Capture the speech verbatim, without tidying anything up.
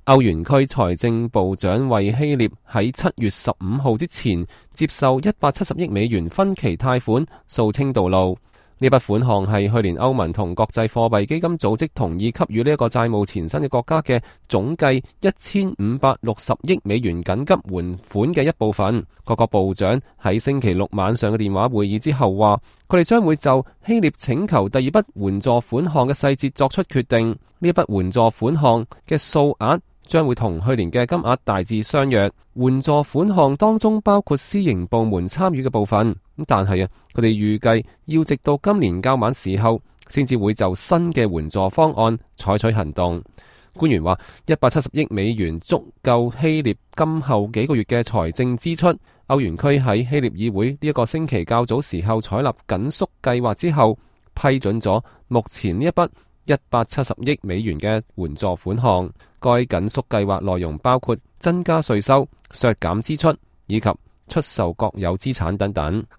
歐元區財政部長為希臘喺七月十五號之前接受一百七十億美元分期貸款掃清道路。呢筆款項係去年歐盟同國際貨幣基金組織同意給予呢一個債務纏身嘅國家嘅總計一千五百六十億美元緊急援款嘅一部分。各國部長喺星期六晚上嘅電話會議之後話，佢哋將會就希臘請求第二筆援助款項嘅細節作出決定。呢一筆援助款項嘅數額將會同去年嘅金額大致相若。援助款項當中包括私營部門參與嘅部分，但係啊，佢哋預計要直到今年較晚時候，先至會就新嘅援助方案採取行動。官員話，一百七十億美元足夠希臘今後幾個月嘅財政支出。歐元區喺希臘議會呢一個星期較早時候採納緊縮計劃之後，批准咗目前呢一筆一百七十億美元嘅援助款項。該緊縮計劃內容包括增加稅收、削減支出以及出售國有資產等等。